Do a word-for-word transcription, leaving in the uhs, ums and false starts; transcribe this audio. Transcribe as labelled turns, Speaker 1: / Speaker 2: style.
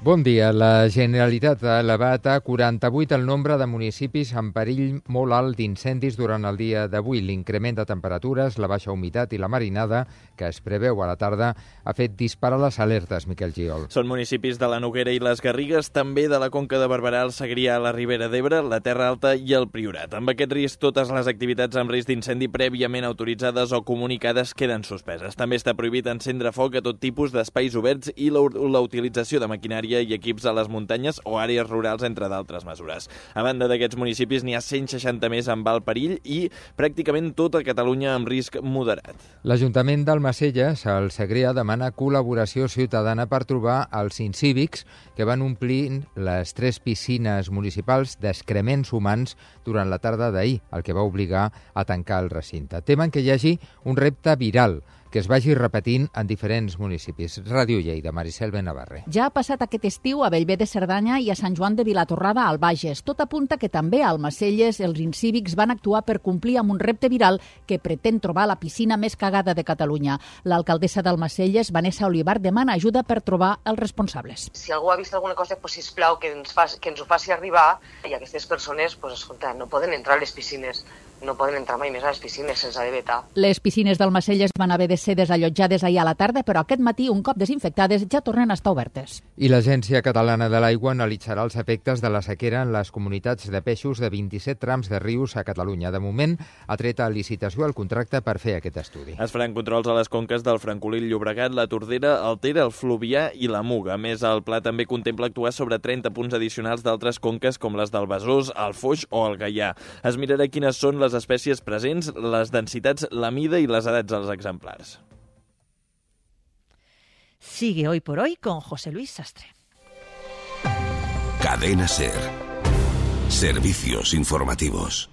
Speaker 1: Bon dia. La Generalitat ha elevat a quaranta-vuit el nombre de municipis en perill molt alt d'incendis durant el dia d'avui. L'increment de temperatures, la baixa humitat i la marinada, que es preveu a la tarda, ha fet disparar les alertes, Miquel Giol.
Speaker 2: Són municipis de la Noguera i les Garrigues, també de la Conca de Barberà, el Segrià, la Ribera d'Ebre, la Terra Alta i el Priorat. Amb aquest risc, totes les activitats amb risc d'incendi prèviament autoritzades o comunicades queden suspeses. També està prohibit encendre foc a tot tipus d'espais oberts i la, la utilització de maquinària i equips a les muntanyes o àrees rurals, entre d'altres mesures. A banda d'aquests municipis, n'hi ha cent seixanta més amb alt perill i pràcticament tota Catalunya amb risc moderat.
Speaker 1: L'Ajuntament d'Almacelles, al Segrià, demana col·laboració ciutadana per trobar els incívics que van omplir les tres piscines municipals d'excrements humans durant la tarda d'ahir, el que va obligar a tancar el recinte. Temen que hi hagi un repte viral que es vagi repetint en diferents municipis. Ràdio Lleida, Maricel Benavarre.
Speaker 3: Ja ha passat aquest estiu a Bellver de Cerdanya i a Sant Joan de Vilatorrada, al Bages. Tot apunta que també a Almacelles els incívics van actuar per complir amb un repte viral que pretén trobar la piscina més cagada de Catalunya. L'alcaldessa d'Almacelles, Vanessa Olivar, demana ajuda per trobar els responsables.
Speaker 4: Si algú ha vist alguna cosa, pues, sisplau, que ens, faci, que ens ho faci arribar, i aquestes persones, pues, escolta, no poden entrar a les piscines. No poden entrar mai més a les piscines, se'ns ha de vetar.
Speaker 3: Les piscines d'Almacelles van haver de ser desallotjades ahir a la tarda, però aquest matí, un cop desinfectades, ja tornen a estar obertes.
Speaker 1: I l'Agència Catalana de l'Aigua analitzarà els efectes de la sequera en les comunitats de peixos de vint-i-set trams de rius a Catalunya. De moment, ha tret a licitació el contracte per fer aquest estudi.
Speaker 2: Es faran controls a les conques del Francolí, el Llobregat, la Tordera, el Ter, el Fluvià i la Muga. A més, el pla també contempla actuar sobre trenta punts addicionals d'altres conques com les del Besòs, el Foix o el Gaià. Es mirarà quines són les espècies presents, les densitats, la mida i les edats dels exemplars.
Speaker 5: Sigue Hoy por Hoy con José Luis Sastre.
Speaker 6: Cadena SER. Servicios informativos.